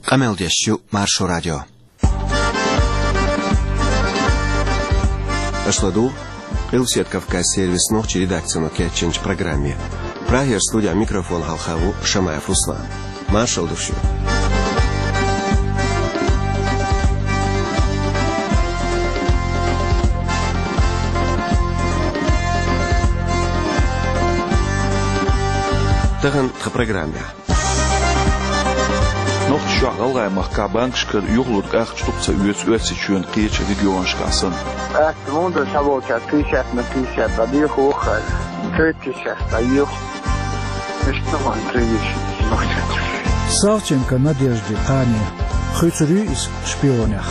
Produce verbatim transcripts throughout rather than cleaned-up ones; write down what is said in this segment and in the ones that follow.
Къамел деш ю Маршо радио. Аша ладугӀу Къилбаседа Кавказан сервисан нохчийн редакцино кечйинчу программе. Прагера студехь микрофон хьалха ву Шамаев Руслан. Маршалла ду шуьга. Тахана тхан программехь. Нохчийчохь, ГӀалгӀай махкахь банкашкара юхалург ахча дукха ца оьцу Оьрсийчоьнан кхечу регионашкахь санна. Ас мунда схьаволчара пятьдесят на пятьдесят дӀадехо хӀара, цхьа пятьдесят дӀаехо. Иштта ма тевжа. Савченко Надежда кхане. Хуьйцур ю иза шпионех.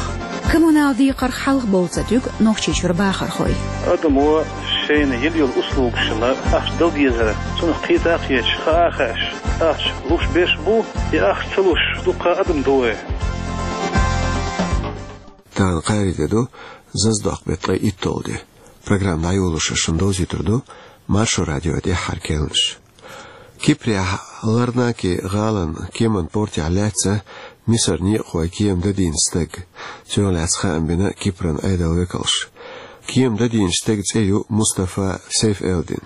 Коммунал декхарх хьалха бовла ца туьгу Нохчийчуьра бахархой. Адамо шайна йина йолу услугашна ахча дала дезара, цунах кхета а кхеташ, хаа а хаьаш, ахча луш берш бу, я ахча ца луш дуккха а адам ду вай. Тахана кхаарин де ду, зазадоккху беттан ткъе итталгӀа де. Программа дӀайолош шуна довзуьйтур ду Маршо радион тӀаьххьара керланаш. Кипрехь Ларнаки гӀалин кеман портехь лаьцна Мисаран некъахойн кема дадийна стаг. Цунах лаьцна хаам бина Кипран Ӏедалан векалша. Кема дадийначу стеган цӀе ю Мустафа Сейф-Элдин.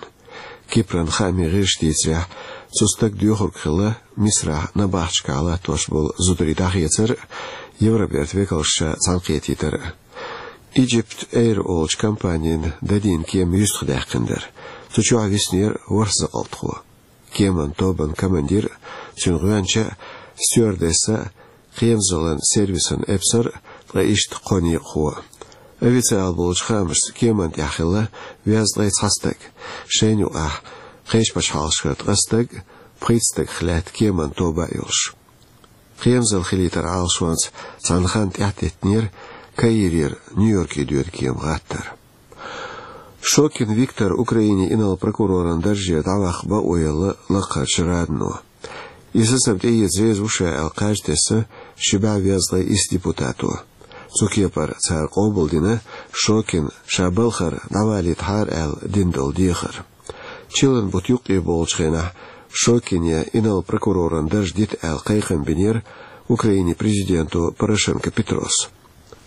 Кипран хаамийн гӀирсаша дийцарехь, цу стага доьхург хилла Мисарахь набахташкахь латтош болу зударий дӀахецар а, Евробертан векалша цхьаьнакхетийтар а. Egypt Air олучу компанина дадийна кема юьстахдаьккхина дара. Цу чохь виснера ворхӀ закъалтхо. Кеман тобанан командир а, цуьнан гӀоьнча а, стюардесса а, кхерамзаллин сервисан эпсар а, ткъа иштта кхо некъахо а. Официалан болчу хаамашца кеман тӀехь хилла везткъе цхьа стаг. Шайна юкъахь кхечу пачхьалкхашкара ткъа стаг а, пхийтта стагах лаьтта кеман тоба а йолуш. Кхерамзалла хилийтаран Ӏалашонца цхьана ханна тӀаьхьатеттинера Каирера Нью-Йорке доьду кема гӀаттар. Шокин Виктор Украинин инарла прокуроран даржера дӀаваккха бакъо елла лакхарчу Радано. И сацам тӀеэца реза ву ша аьлла кхаж тесна ши бӀе везткъе исс депутато. Цу кепара цара къобалдина Шокин ша балхара дӀавалийтахьара аьлла дина долу дехар. Чиллан бутт юккъе бовлучу хенахь Шокине инарла прокуроран дарж дита аьлла кхайкхам бинера Украинин президенто Порошенко Петрос.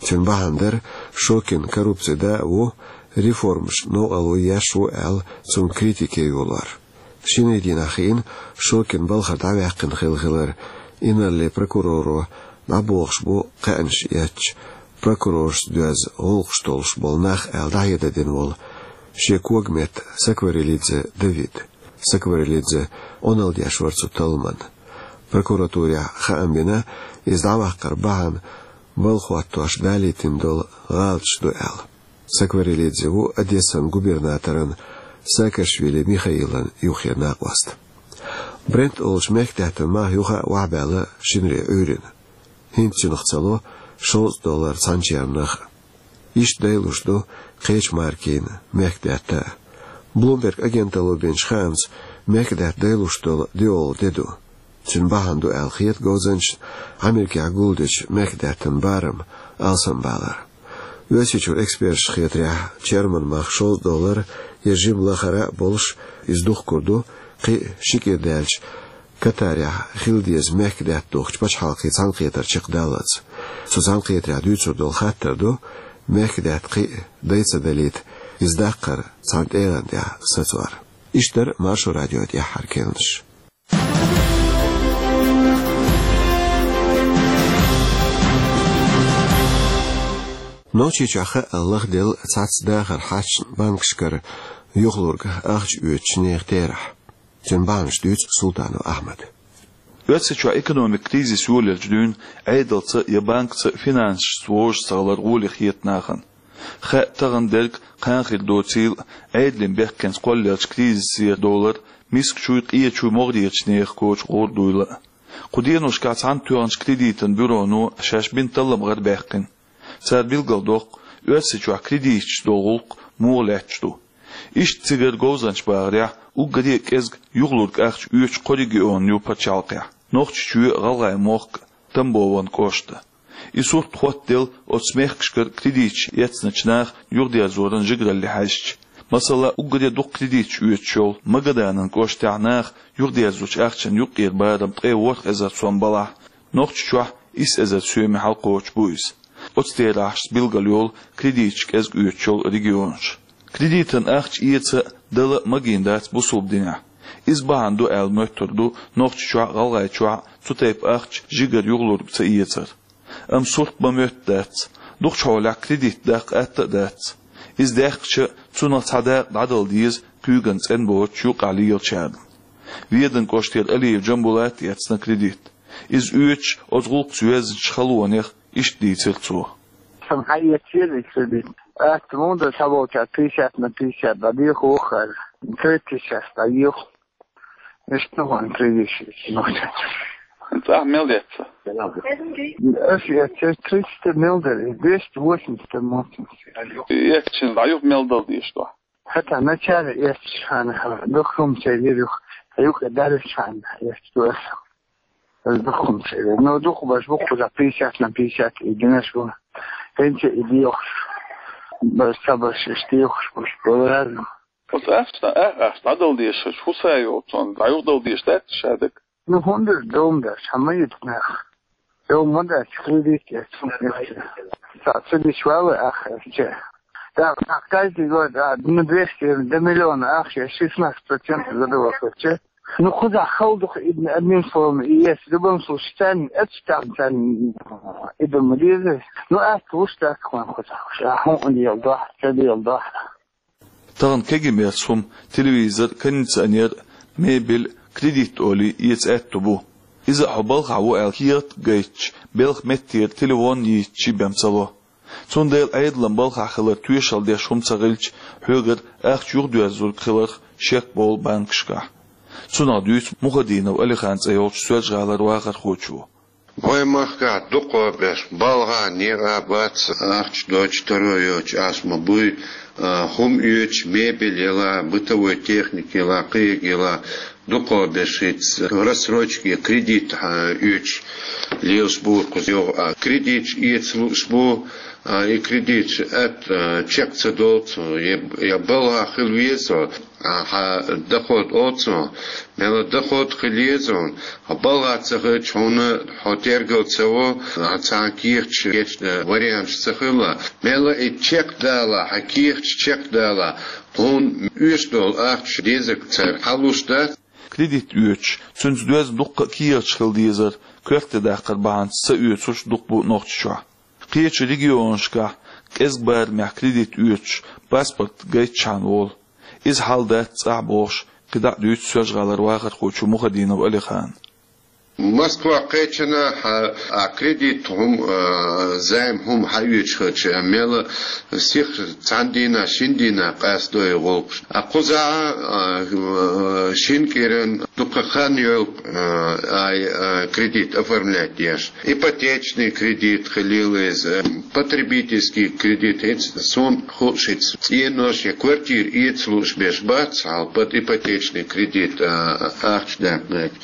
Цуьнан бахьана дара Шокин коррупцин да а ву, реформашна новкъарло еш ву аьлла, цунна критика йолор. Шинарин дийнахь хиъна Шокин балхара дӀаваьккхина хилла хилар, инарла прокуроро дӀабохуш бу кхаьънаш эцча, прокуроршца доьзна гӀуллакхаш долуш болу нах аьлла дӀахьедар дина волу шен когаметта Сакварелидзе Давид. Сакварелидзе Ӏуналла деш вара цу талламан. Прокуратурехь хаам бина, иза дӀаваккхаран бахьана балха хӀоттош далийтина долу гӀалаташ ду аьлла. Сакварелидзе ву Одессан губернаторан Саакашвили Михаилан юххера накъост. Брент олучу мехкадаьттан мах юха а охьабаьлла шинаре Ӏуьйрина. ХӀинца цуьнах ца ло шовзткъа доллар цхьана чернах а. Иштта дайлуш ду кхечу маркийн мехкадаьтта а. Bloomberg агенталло бинчу хаамца, мехкадаьтта дайлуш долу доьалгӀа де ду. Цуьнан бахьана ду аьлла хета говзанчашна Америкехь гулдечу мехкадаьттан барам алсамбалар. Оьрсийчуьра эксперташна хетарехь, черман мах шовзткъа доллар я жима лахара а болуш, иза духкур ду кхин а ши кӀира даьлча Катарехь хила деза мехкадаьтта духкучу пачхьалкхийн цхьаьнакхетар чекхдаллалц. Цу цхьаьнакхетарехь дуьйцур долу хаттар ду, мехкадаьтта кхин а дай ца далийта, иза даккхар цхьана тӀегӀан тӀехь сацор. Иштта дара Маршо радион тӀаьххьара керланаш. Нохчийчохь хаъал лахделла цхьацца дахаран хьашташна банкашкара юхалург ахча оьцучу нехан терахь. Цуьнан бахьанаш дуьйцу Султанов Ахьмада. Оьрсийчохь экономикан кризис йолаелча дуьйна Ӏедалца я банкаца финансашца вовшашца гӀалар гӀоле хета нахана. Хаьа тахана дерг, кхана хир доцийла а, Ӏедалан бехкенца кхоллаелча кризисера долар мискачуй, къечуй, могӀарерчу нехан коча гӀур дуйла а. Кху деношкахь цхьаьнатоьхначу кредитан бюроно шаьш бина таллам гӀарабаьккхина. Цара билгалдоккху, Оьрсийчохь кредиташца долу гӀуллакх муха лаьтташ ду. Иштта цигара говзанчаша бахарехь, уггаре а кӀезга юхалург ахча оьцуш кхо регион ю пачхьалкхехь: Нохчийчоь, ГӀалгӀай мохк, Тамбован кӀошт. И сурт хоттаделла оцу мехкашкара кредиташ эцначу наха юхадерзоран жигаралле хьаьжча. Масала, уггаре дукха кредиташ оьцуш йолу Магаданан кӀоштехь наха юхадерзочу ахчан юккъера барам ткъе ворхӀ эзар сом балахь, Нохчийчохь Исс эзар соьме хьалкхочуш бу иза. Оцу терахьашца билгалйолу кредиташ кӀезиг оьцуш йолу регионаш. Кредитан ахча эца а, дала а магийна дац бусалба динехь. Иза бахьана ду аьлла моьттур ду Нохчийчохь а, ГӀалгӀайчохь а цу тайпа ахча жигара юхалург ца эцар. Амма сурт бан моьтту дац. Дукхачу хьолехь кредит даккха атта а дац. Иза даьккхича, цунах цхьа дакъа дӀадала деза куьйган цӀена боцуш юккъехь лелачарна. Веданан кӀоштара Алиев Джамбулата эцна кредит. Иза оьцуш, оцу гӀуллакхца йоьзначу халонех иштта дийцира цо. Сан хьаэцча еза и кредит. Атта муха ду, схьаволчара пятьдесят на пятьдесят дӀадоьху вахара. Тридцать сейчас дӀайоьху. Иштта ван кредит. ЦӀахь мел эцна? Ас эцча тридцать мел дара, двести восемьдесят муха. Эцча дӀаюху мел дала дезаш ду? ХӀета начале эцча хьан, дукха хӀума ца йира юха, юха даржа хьан эцча ду ас. Ас дукха хӀума ца йира. Но дукха баш бу кхуза пятьдесят на пятьдесят и динаш бу. ХӀинца и дехуш. Баш ца баш, иштта дехуш баш бу разно. Оцу ахча, а, ахча дӀадала дезаш, хӀун са йолу цунна, дӀаюхадала дезаш дац ша дага? Ну, хӀунда дом дац, хьан ма йита нах. Дом ма дац, кредит яц, хӀунда яц. Ца, ца дича вала ахча. Да, да, каждый год, а, на двести, до миллиона ахча, шестнадцать процентов задавал короче. Ну, кхузахь хала ду-кх и, одним словом, и есть в любом случае, царна, это там, царна, и дома деза. Ну, а слушай, так, ван кхузахь, а хӀун дела дохь, ца дела дохь. Тахана кегий меттан хӀума, телевизор, кондиционер, мебель, кредит олий эца аьтто бу. Иза а хьо балхахь ву аьлла кехат гайтча, белхан меттера телефон йийцча бен ца ло. Цундела Ӏедалан балхахь хилар тоьшалла деш хӀума ца хилча, хьоьгара ахча юхадоьрзург хиларх шек болу банкашкахь. Цунах дуьйцу Мухадинов Алихана цӀе йолчу Соьлжа-ГӀалара вахархочо. Вайн махкахь дукхахберш балхахь некъа бац, ахча доцуш, таро йоцуш ас ма буй, а, хӀума оьцуш, мебель яла, бытовой техника яла, кхин яла, дукхахберш хӀинца рассрочка я кредит, а, оьцуш лелаш бу кхузахь. А кредиташ эца лууш бу, а, и кредиташ атта, а, чек ца долу цо, я, я балхахь хила веза, а, хьан доход оццо, мела доход хила еза хьуна, хьо балхахь ца хилча, хьуна хьо тергал ца во, хьан цхьана кехаташ, кечна варианташ ца хилла. Мела и чекхдала, хьан кехаташ чекхдала, хьуна оьшуш долу ахча дезарг цара хьалуш дац. Кредит оьцуш, цуьнца доьзна дуккха а кехаташ хила дезар, коьрте даккхар бахьанца ца оьцурш дукха бу Нохчийчохь. Кхечу регионашкахь кӀезиг барамехь кредит оьцуш, паспорт гайтчхьана волу. Иза хьал дац цӀахь бохуш, кхидӀа а дуьйцу Соьлжа-ГӀалара вахархочо Мухадинов Алихана. Москва кхечанахь а кредит хӀума, а, займ хӀума хьаоьцуш хилча, мела сиха цхьана дийнахь, шина дийнахь къастадо и гӀуллакхаш. А кхузахь а, а, шина кӀиран дукха хан йолу, а, ай, а, кредит оформлять деш. Ипотечный кредит хилийла иза, потребительский кредит, хӀинца суна хууш, хӀинца цӀенош я квартира эца лууш берш бац, хьал под ипотечный кредит, а, ахча даккхийта.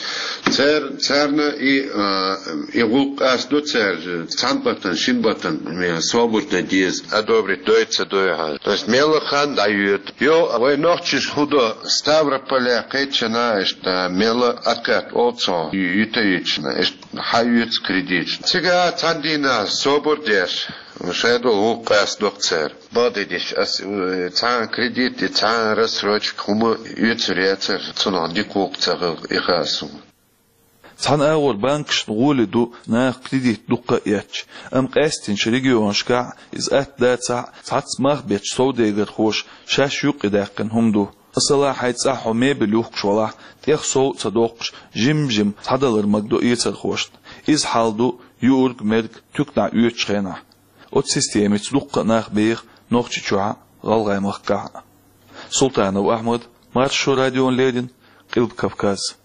Цар-, царна и, а, и гӀуллакх къастадо цара, цхьана баттана, шина баттана, ме, свободно деза, одобрить дой, ца дой хьан. То есть мела хан дӀайоьду. Йо, вай нохчаша хӀун до, Ставрополехь кхечанахь иштта мела откат олу цо, ю-, юьтуьйтуш, иштта хьаоьцу кредиташ. Цигахь цхьана дийнахь собар деш, шайн долу гӀуллакх къастадо-кх цара. Бакъдерг дийцича, ас, э, цхьана кредит, цхьана рассрочка хӀума оьцур яцара, цунах дика гӀуллакх ца хилла, и хаьа суна. Цхьана агӀор банкашна гӀоли ду наха кредит дуккха а эцча, амма къаьстинчу регионашкахь иза атта дацахь а, цхьацца мах бетташ совдегархоша шаьш юккъе даьккхина хӀума ду. Масала, хьайн цӀахь хьо мебель юхкуш валахь, тӀех сов а ца доккхуш, жим-жима схьадалар магадо эцархошна. Иза хьал ду юург-мерг туьканахь оьцучу хенахь. Оцу системица дуккха а нах беха Нохчийчохь а, ГӀалгӀай махкахь а. Султанов Ахьмад, Маршо радиона леррина, Къилба Кавказ.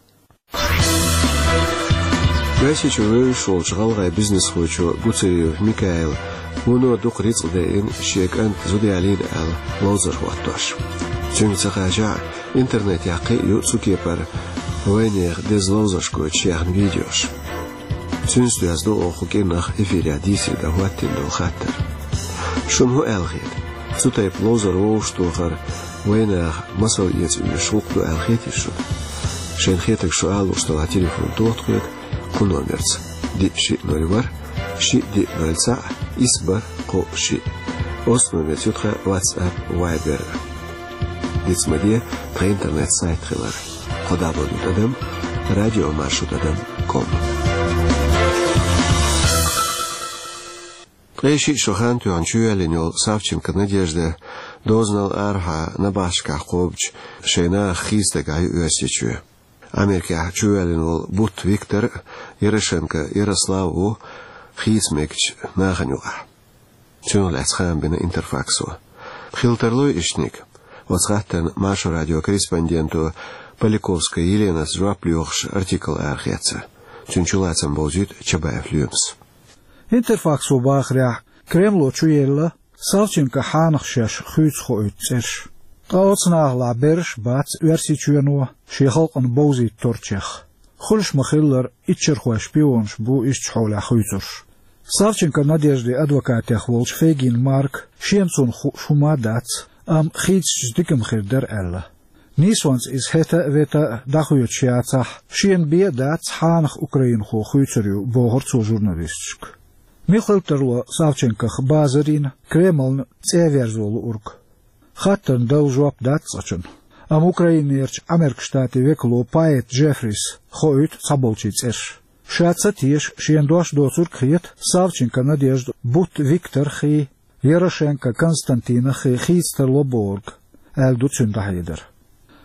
Оьрсийчуьра вевзаш волчу гӀалгӀай бизнесхочо Гуцериев Микаила вуно дукха рицкъ дайина шен кӀанта зуда ялийна аьлла ловзар хӀоттош. Цуьнга ца хажахь а, интернетехь кхин а ю цу кепара вайнехан деза ловзарш гойтуш яьхна видеош. Цуьнца доьзна ду оха кху кӀирнах эфирехь дийцаре дан хӀоттийна долу хаттар. Шуна хӀун аьлла хета? Цу тайпа ловзар вовшахтохар вайнаха масал эца оьшуш гӀуллакх ду аьлла хетий шуна? Шайна хетарг шу ала лууш делахь, телефон тоха тхоьга кху номерца. Диъ шиъ ноль ворхӀ, шиъ диъ ноль цхьаъ, исс бархӀ кхоъ шиъ. Оцу номерца ю тхан WhatsApp, Viber. Диц ма де тхан интернет-сайт хилар: кхо дабл ю тӀадам радио маршо тӀадам ком. Ткъе шиъ шо хан тоьхна чувоьллина йолу Савченко Надежда дозанал арахьа набахташкахь кхобучу шайн нахах хийцадагахь ю Оьрсийчоь. Америкехь чувоьллина волу Бутт Виктор а, Ярошенко Ярослав а ву хийца мегачу нахана юкъахь. Цунах лаьцна хаам бина Интерфаксо. Хила тарлой иштаниг? Оцу хаттарна Маршо радион корреспонденто Поляковская Еленас жоп лоьхуш артикл арахецна. Цуьнан чулацам бовзуьйту Чабаев Лоьмас. Интерфаксо бахарехь, Кремло чуелла Савченкон хьанах шаьш хуьйцуш хоуьйту цӀераш. Ткъа оцу нахалахь берриш а бац Оьрсийчоьно шен халкъана бовзийта торчех. Хуьлуш ма-хиллара, иччархойн шпионаш бу иштта хьолехь хуьйцурш. Савченко Надеждин адвокатех волчу Фейгин Марка шена цунах хууш хӀума а дац, амма хийцича дика ма хир дара аьлла. Нийсонца иза хӀета а, вета а дӀахоьцуш яцахь, шена бен а дац, хьанах украинхо хуьйцур ю, бохура цо журналисташка. Мила хила тарло Савченкох базар йина, Кремлна цӀе а верзо луург? Хаттарна дала жоп дац цкъачунна. Амма Украинерчу Американ Штатийн векало Пайет Джеффрис хоуьйту цхьаболчийн цӀераш. Ша ца теша, шена дош доцург а хета Савченко Надежда, Бутт Виктор хи, Ярошенко Константин хи хийца тарло бохург, аьлла ду цуьнан дӀахьедар.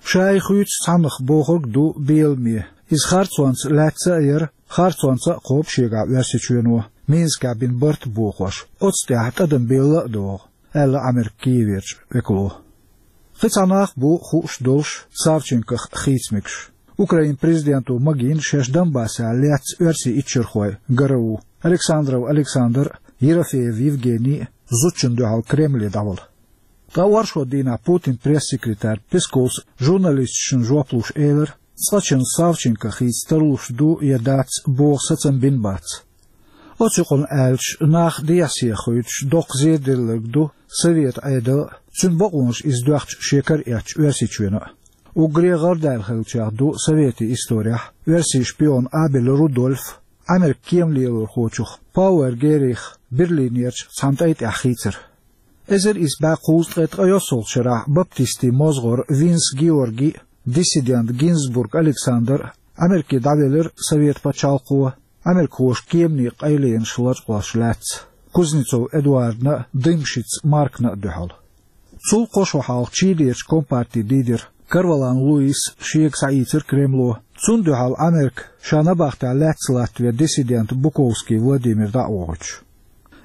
Ша и хуьйцу цхьаннах бохург ду беламе. Иза харцонца лаьцна а яра, харцонца а кхобу шегахь Оьрсийчоьно, Минскехь бина барт а бохош, оцу тӀехь тӀадам белла а догӀу, аьлла Американ Киеверчу векало. Кхин цхьа нах а бу хууш долуш Савченкох хийца мегаш. Украинан президенто магийна шаьш Донбассехь лецна оьрсийн иччархой ГРУ, Александров Александр а, Ерофеев Евгений а зудчунна дуьхьал Кремле дӀавала. Ткъа оршот дийнахь Путинан пресс-секретарь Песковс журналисташна жоп луш элира, цкъачунна Савченко хийца тарлуш ду я дац боху сацам бина бац. Оцу юкъана аьлча, нах дехьа-сехьа хуьйцуш доккха зеделларг ду Советан Ӏедал а, цуьнан бакъонаш иза доьхча шен кара эцча Оьрсийчоьно а. Уггаре гӀардаьлла хиллачех ду советийн исторехь оьрсийн шпион Абель Рудольф, Американ кема лелорхочух Пауэр Геррих Берлинерчу цхьана тӀай тӀехь хийцар. Эзар исс бӀе кхузткъе ткъайоьсналгӀачу шарахь баптистийн мозгӀар Винс Георгий а, диссидент Гинзбург Александр а Америке дӀавелира Совет пачхьалкхо, америкахоша кеманийн къайленаш лачкъош лаьцна, Кузнецов Эдуардна а, Дымшиц Маркна а дуьхьал. Цул кхо шо хьалха Чилерчу компартин дийдира Корвалан Луис шега схьаийцира Кремло, цунна дуьхьал Америка ша набахтехь лаьцна латтаве диссидент Буковский Владимир дӀа а вохуьйтуш.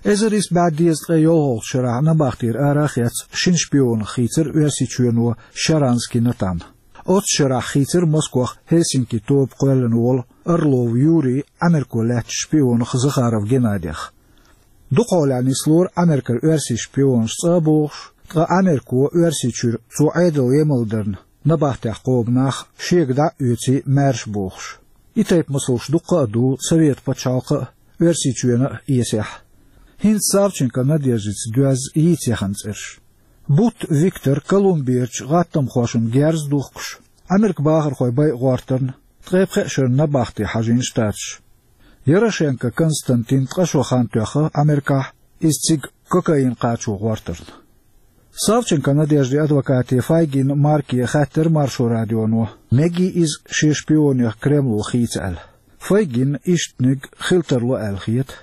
Эзар исс бӀе дезткъе йолхалгӀачу шарахь набахтера ара а хецна шина шпионах хийцира Оьрсийчоьно Шаранский Натан. Оццу шарахь хийцира Москох Хельсинки тоба кхоьллина волу Орлов Юрий Америко лаьцначу шпионах Захаров Геннадех. Дукха хьолехь нислора Америкара оьрсийн шпионаш цӀа а бохуш, ткъа Америко Оьрсийчуьра цо Ӏедал емал дарна набахтехь кхобу нах шега дӀа а оьций маьрша бохуш. И тайпа масалш дуккха а ду Совет пачхьалкха а, Оьрсийчоьно а эсехь. ХӀинца Савченко Надеждица доьзна йийца яхана цӀераш. Бутт Виктор Колумберчу гӀаттамхошна герз а духкуш, Американ бахархой байа гӀортарна, ткъе пхеа шарна набахте хьажийна Штаташ. Ярошенко Константин ткъа шо хан тоьхна Америкахь, иза цига кокаин кхачо гӀортарна. Савченко Надеждин адвокате Файгин Марке хаьттира Маршо радионо, мегий иза шен шпионех Кремло хийца аьлла. Файгинна иштаниг хила тарло аьлла хета.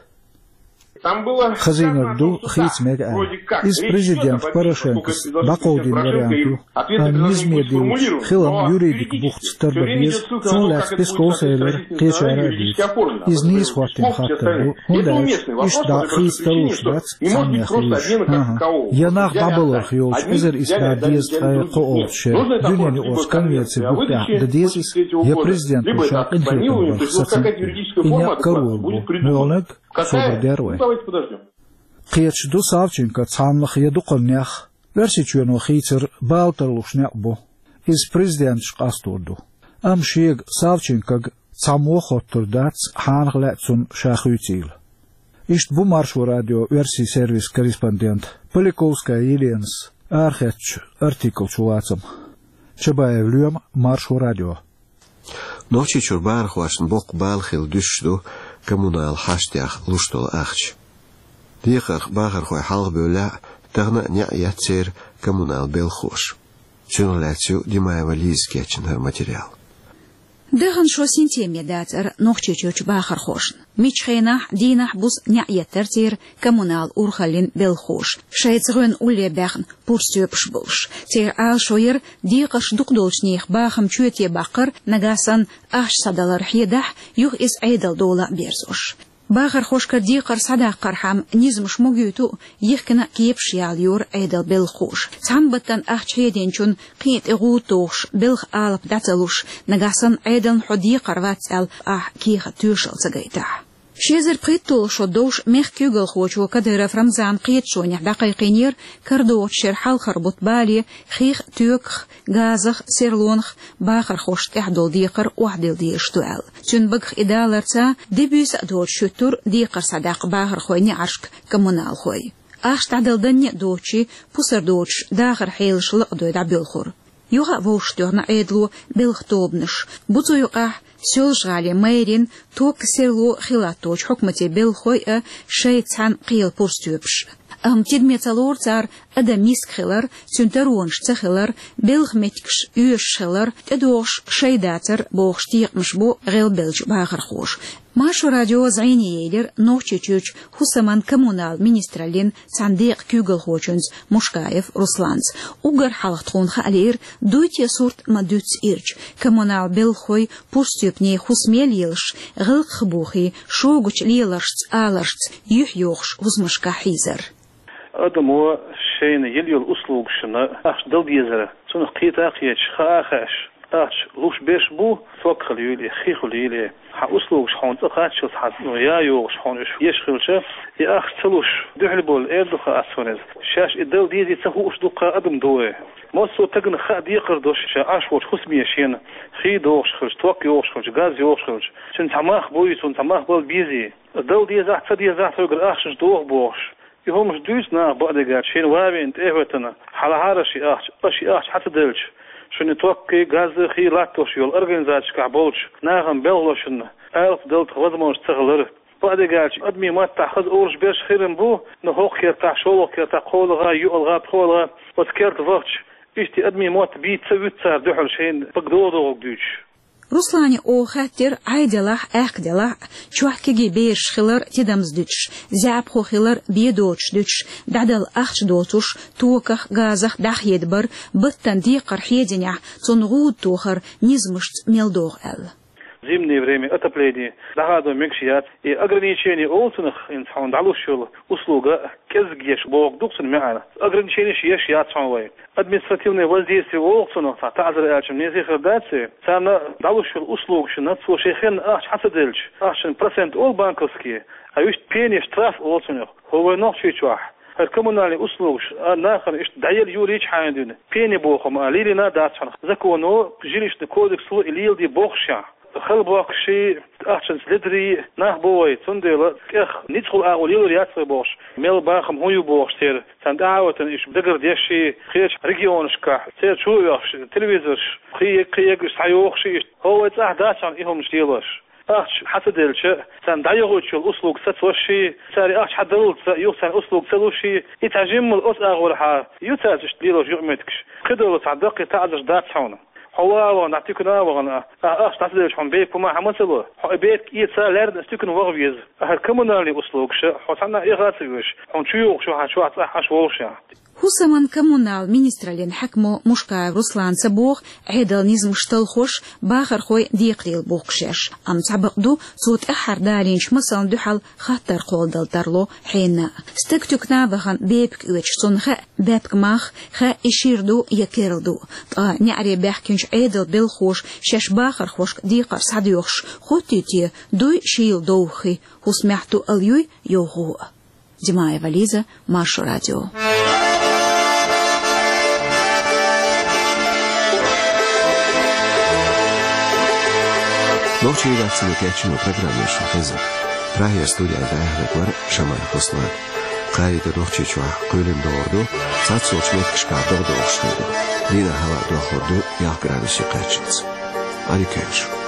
Хазийнарг ду, хийца мега аьлла. Иза президент Порошенкос дӀакховдийна вариант ю, амма низаме диллича, хилам юридик бухца тардо беза, цунна лаьцна Песковс элира, кхечара а дуьйцу. Иза нийса хӀоттийна хаттар ду, хӀунда аьлча иштта дӀа хийца тарлуш дац цхьаннех луьйш. ХӀан-хӀа. Я нах дӀабаларх йолчу эзар исс бӀе дезткъе кхоалгӀачу шеран дуьненаюкъарчу конвенци бухтехь дан деза иза, я президенто ша къинхетам барх сацам а ду. И некъ карор бу, муьлханиг а собар дер вай. Кхеташ ду Савченко цхьаннах я дукханнех, Оьрсийчоьно хийцар бала тарлуш некъ бу. Иза президенташ къастор ду. Амма шега Савченкога цхьаммо а хоттур дац, хьанах лаьа цунна ша хуьйцийла. Иштта бу Маршо радион оьрсийн сервисан корреспондент Поляковская Еленас арахецначу артиклан чулацам. Чабаев Лоьма, Маршо радио. Нохчийчуьра бахархошна боккха бала хилла дуьсуш ду коммунал хьаштех луш долу ахча. Декхарх бахархой хьалха бевллехь, тахана а неӀ етта церан коммунал белхахоша. Цунах лаьцна ю Димаева Лиза кечйина хӀара материал. Дахана шо синтеме дацара Нохчийчуьрчу бахархошна. Миччу хенахь, дийнахь-бус неӀ еттара церан коммунал урхаллин белхахоша, шайца гӀоьнна улле баьхна пурстоьпаш болуш. Церан Ӏалашо яра декхарш дукха долчу нехан бахам чоьте баккхар, нагахь санна ахча схьадалар хьедахь, юха иза Ӏедалан дола а берзош. Бахархошкара декхар схьадаккхархьама низамаш могуьйту а, йихкина а кепаш ялайора Ӏедалан белхахоша. Цхьана баттана ахча хьединчунна кхин а тӀе гӀуда тохуш, белхан алапа дӀа ца луш, нагахь санна Ӏедална хьо декхар вац аьлла, ахь кехат тоьшалла ца гайтахь. Ши эзар пхийтталгӀа шо довш мехкан куьйгалхочо Кадыров Рамзана кхеташонехь дӀакхайкхийнера, карадогӀучу шеран хьалхара бутт бале хих а, тоьках а, газах а, серлонах а бахархошна тӀехь долу декхар охьадилла дезаш ду аьлла. Цуьнан багах и даларца, де-буьйса а доцуш хӀуьттура декхар схьадаккха бахархойн неӀаршка коммуналхой. Ахча дӀадала данне а доцуш, пусар доцуш дахаран хьелаш лакхадой дӀабоьлхура. Юха а вовшахтоьхна Ӏедало белхан тобанаш. Бу цу юкъахь Соьлжа-ГӀалин мэрин, токан, серлон хи латточу хьукматийн белхахой а, шайца цхьаьна кхелан пурстоьпаш а. Амма тидаме ца лору цара адам йиска хилар, цуьнан таронаш ца хилар, белхан меттигаш оьшуш хилар, тӀедогӀуш шай дацар бохуш текхамаш бо гӀелбеллачу бахархоша. Маршо радио зӀене елира Нохчийчуьрчу хӀусаман коммунал министраллин цхьана декъан куьйгалхочуьнца Мушкаев Русланца. Уггар хьалха тхуна хаа лиира, дуй те сурт ма дуьйцу ирча, коммунал белхахой пурстоьпане хӀусаме лелаш, гӀиллакхах бухий, шогачу леларшца, аларшца юьхь йохуш хӀусамашкахь хьийзар. Адамо шайна йила йолу услугашна ахча дала дезара, цунах кхета а кхеташ, хаа а хаьаш, ахча луш берш бу, ток хила юй ле, хи хила юй ле. Хьан услугаш хьуна цӀа кхаччалц хьан, ну, я йогӀуш хьуна уьш еш хилча, и ахча ца луш, дуьхьал болу эр ду хаа ас ван иза. Шаьш и дала дезий ца хууш дуккха адам ду вай. Массо а тагана хаа декхар долуш ша Ӏаш волчу хӀусаме шена хи догӀуш хилча, ток йогӀуш хилча, газ йогӀуш хилча, цуьнан цхьа мах буй, цуьнан цхьа мах бала безий. Дала дезахь, ца дезахь, тхоьгара ахчанаш доху бохуш. И хӀуманаш дуьйцу наха бакъдерг аьлча, шена ван веана тӀе а хӀоьттина, хьалахьара ши ахча, аш ши ахча хьа ца делча, шуна токкхий, газзахий латтош йолу организацешкахь болчу нахана белхалошна алапа дала тхан возможность ца хилар. Бакъдерг аьлча, адамийн маттахь хаза олуш берш хир-м бу, но хӀокху кертахь, шолгӀа кертахь, кхоалгӀа, йоьалгӀа, пхоьалгӀа, оцу керта вахча, иштта адамийн мотт бийца ца вуьту цара дуьхьал шайна бага догӀу-догӀург дуьйцуш. Руслане оха хаьттира, Ӏай делахь, аьхка делахь, чохь кегий бераш хилар тидамза дуьтуш, заьӀапхо хилар бен доцуш дуьтуш, дӀадала ахча доцуш, токах, газах дӀахьеда бар, баттана декхар хьединехь, цунна гӀуда тохар низамашца мел догӀу аьлла. Зимнее время отопление дӀахадо мегаш яц, и ограничение олу цунах, хӀинца хьуна дӀалуш йолу услуга кӀезиг еш бохург ду-кх цуьнан маьӀна. Ограниченеш еш яц хьуна вай. Административное воздействие олу-кх цунах, цхьа таӀзар аьлча-м, незе хир дац и. Царна дӀалуш йолу услугашна цо шен хенна ахча хьа ца делча, ахчанан процент олу банковский, а иштта пени, штраф олу цунах. ХӀо вай Нохчийчохь хӀара коммунальный услугаш а нахана иштта дӀаяла юьйлийча хьайна дуьйна, пени боху хӀума а лелийна дац хьуна. Законо, жилищный кодексо и леладе бохушехь, хала бохкуш, ахчанца ледарий нах бу вай, цундела тӀех ницкъала агӀо лелор яц вай бохуш, мел бахам хӀун ю бохуш церан, царна тӀаьхьа а ватана, иштта дагардеш, кхечу регионашкахь церан чу а оьхуш, телевизорш кхин ерг, кхин ерг схьайохуш, иштта хӀо вай цӀахь дац хьуна и хӀуманаш лелош. Ахча хьа ца делча, царна дӀайохуьйтуш йолу услуга сацош, цара и ахча хьа даллалц юха царна услуга ца луш, и цхьа жиммал оцу агӀорхьа ю цаьрца иштта лелош юкъаметтигаш. Кхидолу цхьа даккхий таӀзарш дац хьуна. Хьо ван а вахана, ахь туькана а вахана, ахь ахча дӀа ца делча, хьуна бепиг ма хьан ма ца ло. Хьо и бепиг эца лаьрна аса туькана ваха веза. ХӀара коммунальный услугаш хьо цхьанна а эха а ца везаш, хьуна чу йогӀуш ю хьан чохь цӀахь Ӏаш волуш ахь. ХӀусаман-коммунал министраллин хьаькамо Мушкаев Руслана ца боху, Ӏедалан низамаш талхош, бахархой декхарийлахь бу-кх шаьш. Амма цхьа бакъ ду, цо тӀаьххьара далийначу масална дуьхьал хаттар кхолладала тарло хьенан а. Стаг туькана а вахана, бепиг оьцуш, цунна хаьа баьпкан мах, хаьа и шира ду я керла ду. Ткъа неӀаре баьхкинчу Ӏедалан белхахоша шаьш бахархошка декхар схьадоьхуш, хӀоттий те, дуй шийла довха хи, хӀусамехь туалла юй, йовхо а. Димаева Лиза, Маршо радио. Нохчийн редакцино кечйина программа шуна хезира. Прагера студехь дӀаяьхьнарг вара Шамаев Руслан. Кхайда Нохчийчохь кхоьлина догӀур ду, цхьацца меттигашкахь догӀа догӀуш хир ду. Дийнахь хӀаваъ дохлур ду ялх градусе кхаччалц. Ӏадика йойла шун.